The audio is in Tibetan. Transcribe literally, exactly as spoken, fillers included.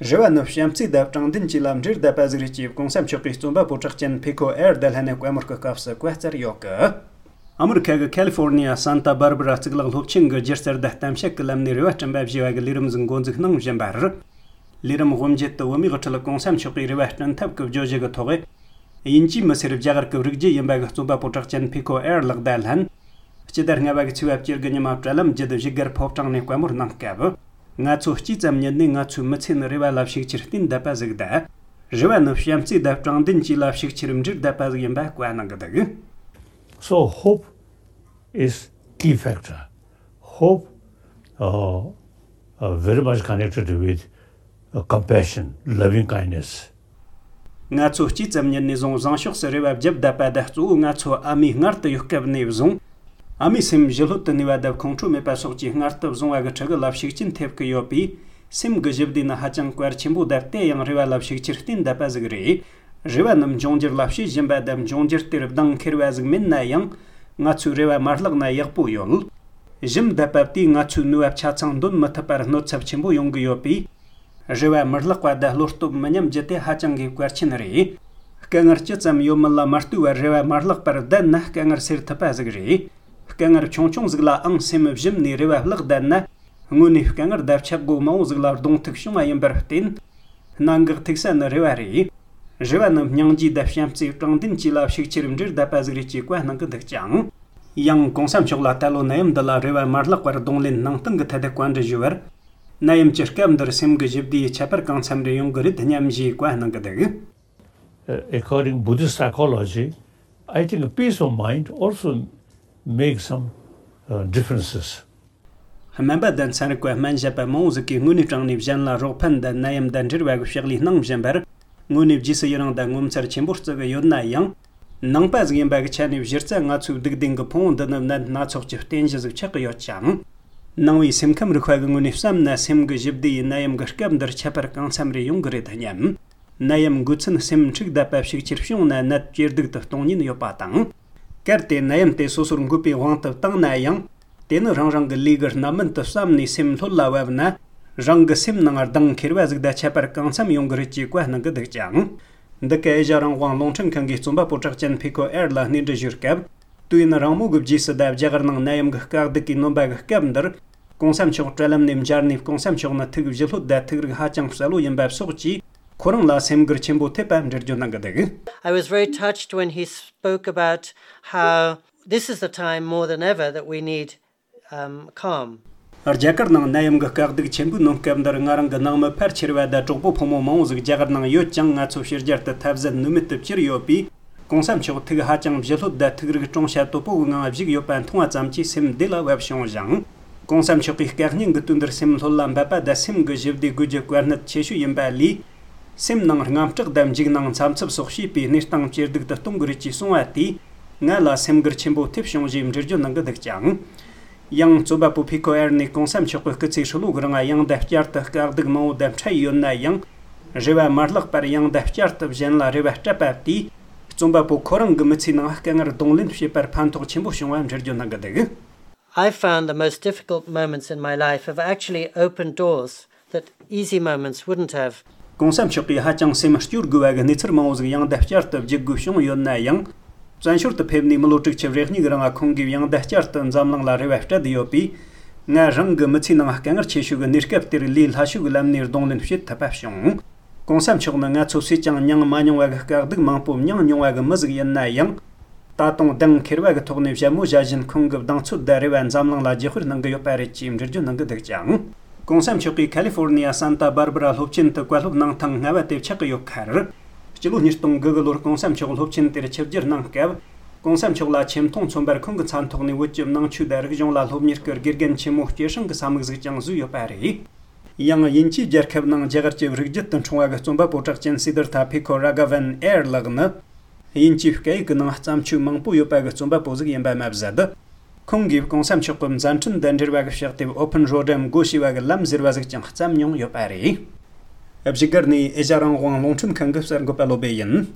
རེ་བ་ནི་བྱམས་བརྩེ་དང་དྲང་བདེན་བཅས་ལ་འབྲེལ་བསྡད་པ་ཟིག་རེད་ཅེས་གོང་ས་མཆོག་གིས་རྩོམ་པ་པོ་གྲགས་ཅན་ཕི་ཁོ་ཨེར་དང་ལྷན་ནས་བཀའ་མོལ་གྱི་སྐབས་སུ་བཀའ་སྩལ་ཡོད་གི། ཨ་མི་རི་ཁ་གི་ཁ་ལི་ཧྥོར་ནི་ཡ་སན་ཏཱ་སྦར་བྷ་ར་གཙུག་ལག་སློབ་ཆེན་གྱི་སྒྱུ་རྩལ་དང་གཏམ་བཤད་ཀྱི་ལམ་ནས་རེ་བ་བསྐྲུན་པ་ཞེས་པ་གི་ལས་རིམ་ཟིག་འགོ་འཛུགས་གནང་བཞིན་པར། ལས་རིམ་དབུ་འབྱེད་དུ་བོད་མིའི་དབུ་ཁྲིད་གོང་ས་མཆོག་གིས་རེ་བ་བསྐྲུན་ཐབས་ཀྱི་བརྗོད་གཞི་གི་ཐོག་དབྱིན་ཇིའི་མི་སེར་རྒྱ་གར་གྱི་རིགས་རྒྱུད་ཡིན་པ་གི་རྩོམ་པ་པོ་གྲགས་ཅན་ཕི་ཁོ་ཨེར་ལགས་དང་ལྷན། སྤྱི་ཟླ་ལྔ་པ་གི་ཚེས་པ་བཅུ་དགུ་ཉི་མ་དྲ་ལམ་བརྒྱུད་བཞུགས་སྒར་ཕོ་བྲང་ནས་བཀའ་མོལ་གནང་སྐབས། ང་ཚོ་སྐྱེས་ཙམ་ཉིད་ནས་ང་ཚོའི་མི་ཚེ་ནི་རེ་བ་ལ་ཤུགས་ཆེར་བརྟེན་བསྡད་པ་ཟིག་དང་། རེ་བ་ནི་བྱམས་བརྩེ་དང་དྲང་བདེན་བཅས་ལ་ཤུགས་ཆེར་འབྲེལ་བསྡད་པ་ཟིག་ཡིན་པ་བཀའ་གནང་གི་འདུག། So hope is key factor. Hope, uh, uh, very much connected with, uh, compassion, loving kindness. ང་ཚོ་སྐྱེས་ཙམ་ཉིད་ནས་བཟུང་བཟང་ཕྱོགས་སུ་རེ་བ་བརྒྱབ་བསྡད་པ་དང་། གཙོ་བོ་ང་ཚོ་ཨ་མའི་མངལ་དུ་ཡོད་སྐབས་ནས་བཟུང་། ཨ་མའི་སེམས་ཞི་ལྷོད་དུ་གནས་པ་དང་ཁོང་ཁྲོ་མེད་པ་སོགས་ཀྱི་མངལ་དུ་བཟུང་བ་གི་ཕྲུ་གུ་ལ་ཤུགས་རྐྱེན་ཐེབས་ཀྱི་ཡོད་པས། སེམས་ཀྱི་ཞི་བདེ་ནི་ཧ་ཅང་གལ་ཆེན་པོ་དང་། དེ་ཡང་རེ་བ་ལ་ཤུགས་ཆེར་བརྟེན་བསྡད་པ་ཟིག་རེད། རེ་བ་རྣམས་འབྱུང་འགྱུར་ལ་བྱེད་བཞིན་པ་དང་། འབྱུང་འགྱུར་དེར་གདེང་འཁེལ་བ་ཟིག་མིན་ན་ཡང་། ང་ཚོས་རེ་བ་མ་བརླག་ན་ཡག་པོ་ཡོད། ཞུམ་བསྡད་པ་དེས་ང་ཚོའི་ནུས་པ་ཆ་ཚང་འདོན་མི་ཐུབ་པར་གནོད་ཚབས་ཆེན་པོ་ཡོང་གི་ཡོད་པས། རེ་བ་མི་བརླག་པ་དང་བློ་སྟོབས་མི་ཉམས་རྒྱུ་དེ་ཧ་ཅང་གི་གལ་ཆེན་རེད། དཀའ་ངལ་ཅི་ཙམ་ཡོད་མིན་ལ་མ་ལྟོས་པར་རེ་བ་མ་བརླག་པར་བསྡད་ན་དཀའ་ངལ་སེལ་ཐུབ་པ་ཟིག་རེད། དཀའ་ངལ་ཆུང་ཆུང་ཟིག་ལའང་སེམས་ཞུམ་ནས་རེ་བ་བརླག་བསྡད་ན། དངོས་གནས་དཀའ་ངལ་དང་ཆག་སྒོ་མང་བོ་ཟིག་ལ་གདོང་ཐུག་བྱུང་བ་ཡིན་པར་བརྟེན། གནད་འགག་ཐུག་ས་ནི་རེ་བ་རེད། རེ་བ་ནི་སྙིང་རྗེ་དང་བྱམས་བརྩེ་དྲང་བདེན་བཅས་ལ་ཤུགས་ཆེར་འབྲེལ་བསྡད་པ་ཟིག་རེད་ཅེས་བཀའ་གནང་གི་འདུག་ཅིང་། ཡང་གོང་ས་མཆོག་ལ་ད་ལོ་ནད་ཡམས་འདི་ལ་རེ་བ་མ་བརླག་པར་གདོང་ལེན་གནང་སྟངས་ཀྱི་ཐད་དུ་བཀའ་འདྲི་ཞུས་པར། ནད་ཡམས་ཀྱི་སྐབས་འདིར་སེམས་ཀྱི་ཞི་བདེ་ཡི་ཁྱད་པར་གང་འཚམ་རེ་ཡོང་གི་རེད་སྙམ་ཞེས་བཀའ་གནང་གི་འདུག། Uh, according Buddhist psychology, I think peace of mind also makes some, uh, differences. སྨན་པ་དང་ཚན་རིག་པ་སྨན་ཞབས་པ་མང་བོ་ཟིག་གིས་དངོས་གནས་དྲང་ནས་གཞན་ལ་རོགས་ཕན་དང་ནད་ཡམས་དང་འབྲེལ་བ་གི་ཕྱག་ལས་གནང་བཞིན་པར། དངོས་གནས་རྗེས་སུ་ཡི་རང་དང་ངོ་མཚར་ཆེན་པོ་བརྩི་གི་ཡོད་ན་ཡང་། ནང་པ་ཟིག་ཡིན་པ་གི་ཆ་ནས་གཞི་རྩ་ང་ཚོའི་སྡིག་ལྡན་གྱི་ཕུང་བོ་འདི་ནི་ནད་སྣ་ཚོགས་ཀྱི་རྟེན་གཞི་ཟིག་ཆགས་ཀྱི་ཡོད་ཅིང་། ནང་པའི་སེམས་ཁམས་རིག་པ་གི་ངོས་ནས་བསམ་ན། སེམས་ཀྱི་ཞི་བདེ་ཡིས་ནད་ཡམས་ཀྱི་སྐབས་འདིར་ཁྱད་པར་གང་འཚམ་རེ་ཡོང་གི་རེད་སྙམ། ནད་ཡམས་འགོས་ཚུན་སེམས་འཁྲུག་བསྡད་པ་ཤུགས་ཆེར་བྱུང་ན་ནད་ཇེ་སྡུག་ཏུ་གཏོང་ཉེན་ཡོད་པ་དང་། གལ་ཏེ་ནད་ཡམས་དེ་སོ་སོར་འགོས་པའི་དབང་དུ་བཏང་ན་ཡང་། དེ་ནི་རང་རང་གི་ལས་ཀྱི་རྣམ་སྨིན་དུ་བསམ་ནས་སེམས་ལྷོད་ལ་བབས་ན། རང་གི་སེམས་ནང་གདེང་འཁེལ་བ་ཟིག་དང་ཁྱད་པར་གང་འཚམ་ཡོང་གི་རེད་ཅེས་བཀའ་གནང་གི་འདུག་ཅིང་། འདི་ག་ཨེ་ཤ་རང་དབང་རླུང་འཕྲིན་ཁང་གིས་རྩོམ་པ་པོ་གྲགས་ཅན་ཕི་ཁོ་ཨེར་ལ་གནས་འདྲི་ཞུས་སྐབས། དུས་ཡུན་རིང་མོ་གི་རྗེས་སུ་ད་རྒྱ་གར་ནང་ནད་ཡམས་ཀྱི་དཀའ་སྡུག་གིས་ནོན་པ་གི་སྐབས་འདིར། གོང་ས་མཆོག་དྲ་ལམ་ནས་མཇལ་ནས། གོང་ས་མཆོག་ནི་ཐུགས་ཞི་ལྷོད་དང་ཐུགས་རིག་ཧ་ཅང་གསལ་བོ་ཡིན་པ་སོགས་ཀྱིས། ཁོ་རང་ལ་སེམས་འགུལ་ཆེན་པོ་ཐེབས་པ་འགྲེལ་བརྗོད་གནང་གི་འདུག། I was very touched when he spoke about how this is the time more than ever that we need, um, calm. རྒྱ་གར་ནང་ནད་ཡམས་ཀྱི་དཀའ་སྡུག་ཆེན་པོས་ནོན་སྐབས་འདིར། ང་རང་གི་ནང་མི་ཕལ་ཆེ་བ་དང་གྲོགས་པོ་ཕོ་མོ་མང་བོ་ཟིག་རྒྱ་གར་ནང་ཡོད་ཅིང་། ང་ཚོ་ཕྱི་རྒྱལ་དུ་ཐབས་ཟད་ནུས་མེད་དུ་གྱུར་ཡོད་པས། གོང་ས་མཆོག་ཐུགས་ཧ་ཅང་ཞི་ལྷོད་དང་ཐུགས་རིག་སྤྲོ་འཆམ་དོད་པོ་གི་ངང་བཞུགས་ཡོད་པ་མཐོང་བ་ཙམ་གྱིས་སེམས་བདེ་ལ་བབས་བྱུང་ཞིང་། གོང་ས་མཆོག་གིས་བཀའ་རྙིང་གི་དུས་འདིར་སེམས་ལྷོད་ལ་འབབ་པ་དང་སེམས་ཀྱི་ཞི་བདེ་དགོས་རྒྱུ་གལ་གནད་ཆེ་ཤོས་ཡིན་པ་ལས། སེམས་ནང་དངངས་སྐྲག་དང་འཇིགས་སྣང་འཚབ་འཚུབ་སོགས་བྱས་པའི་གནས་སྟངས་ཇེ་སྡུག་ཏུ་གཏོང་གི་རེད་ཅེས་གསུངས་པ་དེས་ང་ལ་སེམས་འགུལ་ཆེན་པོ་ཐེབས་བྱུང་ཞེས་འགྲེལ་བརྗོད་གནང་གི་འདུག་ཅིང་། ཡང་རྩོམ་པ་པོ་ཕི་ཁོ་ཨེར་ནས་གོང་ས་མཆོག་གི་སྐུ་ཚེ་ཧྲིལ་བོ་གི་རིང་ཡང་དང་བསྐྱར་དུ་དཀའ་སྡུག་མང་བོ་དང་འཕྲད་ཡོད་ན་ཡང་། རེ་བ་མ་བརླག་པར་ཡང་དང་བསྐྱར་དུ་གཞན་ལ་རེ་བ་སྤྲད་པ་དེས། རྩོམ་པ་པོ་ཁོ་རང་གི་མི་ཚེའི་ནང་དཀའ་ངལ་གདོང་ལེན་བྱེད་པར་ཕན་ཐོགས་ཆེན་པོ་བྱུང་བ་འགྲེལ་བརྗོད་གནང་གི་འདུག། I found the most difficult moments in my life have actually opened doors that easy moments wouldn't have. གོང་ས་མཆོག་གིས་ཧ་ཅང་སེམས་སྐྱོ་དགོས་པ་གི་གནས་ཚུལ་མང་བོ་ཟིག་ཡང་དང་བསྐྱར་དུ་བརྗོད་དགོས་བྱུང་ཡོད་ན་ཡང་། བཙན་བྱོལ་དུ་ཕེབས་ནས་མི་ལོ་དྲུག་ཅུ་རེ་གཉིས་གི་རིང་ཁོང་གིས་ཡང་དང་བསྐྱར་དུ་འཛམ་གླིང་ལ་རེ་བ་སྤྲད་ཡོད་པས། ང་རང་གི་མི་ཚེའི་ནང་དཀའ་ངལ་ཆེ་ཤོས་ཀྱི་གནས་སྐབས་དེར་ལས་སླ་ཤོས་ཀྱི་ལམ་ནས་གདོང་ལེན་བྱེད་ཐུབ་པ་བྱུང་། གོང་ས་མཆོག་ནི་ང་ཚོ་སུས་ཀྱང་མྱངས་མ་མྱོང་བ་གི་དཀའ་སྡུག་མང་པོ་མྱངས་མྱོང་བ་གི་མི་ཟིག་ཡིན་ན་ཡང་། ད་དུང་གདེང་འཁེལ་བ་གི་ཐོག་ནས་བཞད་མོ་བཞད་བཞིན་ཁོང་གི་གདེང་ཚོད་དང་རེ་བ་འཛམ་གླིང་ལ་བརྗེ་སྤོར་གནང་གི་ཡོད་པ་རེད་ཅེས་འགྲེལ་བརྗོད་གནང་གི་འདུག་ཅིང་། གོང་ས་མཆོག་གིས་ཁ་ལི་ཧྥོར་ནི་ཡ་སན་ཏཱ་སྦར་སྦ་ར་སློབ་ཆེན་དུ་བཀའ་སློབ་གནང་ཐེངས་ལྔ་པ་དེ་ཆགས་ཀྱི་ཡོད་ཁར། སྤྱི་ལོ་ཉིས་སྟོང་དགུ་གི་ལོར་གོང་ས་མཆོག་སློབ་ཆེན་དེར་ཆིབས་བསྒྱུར་གནང་སྐབས། གོང་ས་མཆོག་ལ་ཆེ་མཐོང་མཚོན་པར་ཁོང་གི་མཚན་ཐོག་ནས་བོད་ཀྱི་ནང་ཆོས་དང་རིག་གཞུང་ལ་སློབ་གཉེར་གྱི་དགེ་རྒན་ཆེན་མོ་སྐྱེད་སྲིང་གི་ས་མིག་ཟིག་ཀྱང་བཟོས་ཡོད་པ་རེད། ཡང་དབྱིན་ཇིའི་རྒྱལ་ཁབ་ནང་རྒྱ་གར་གྱི་རིགས་རྒྱུད་དུ་འཁྲུངས་པ་གི་རྩོམ་པ་པོ་གྲགས་ཅན་སི་དར་ཐ་ཕི་ཁོ་ར་ག་ཝན་ཨེར་ལགས་ནི། དབྱིན་ཇིའི་སྐད་ཡིག་གི་ནང་བརྩམས་ཆོས་མང་པོ་ཡོད་པ་གི་རྩོམ་པ་པོ་ཟིག་ཡིན་པ་མ་ཟད། ཁོང་གིས་གོང་ས་མཆོག་གི་མཛད་འཕྲིན་དང་འབྲེལ་བ་གི་ཕྱག་དེབ་Open Road འམ་སྒོ་ཕྱེ་བ་གི་ལམ་ཟེར་བ་ཟིག་ཀྱང་བརྩམས་མྱོང་ཡོད་པ་རེད། བཞུགས་སྒར་ནས་ཨེ་ཤ་རང་དབང་རླུང་འཕྲིན་ཁང་གི་གསར་འགོད་པ་བློ་བྷེ་ཡིན།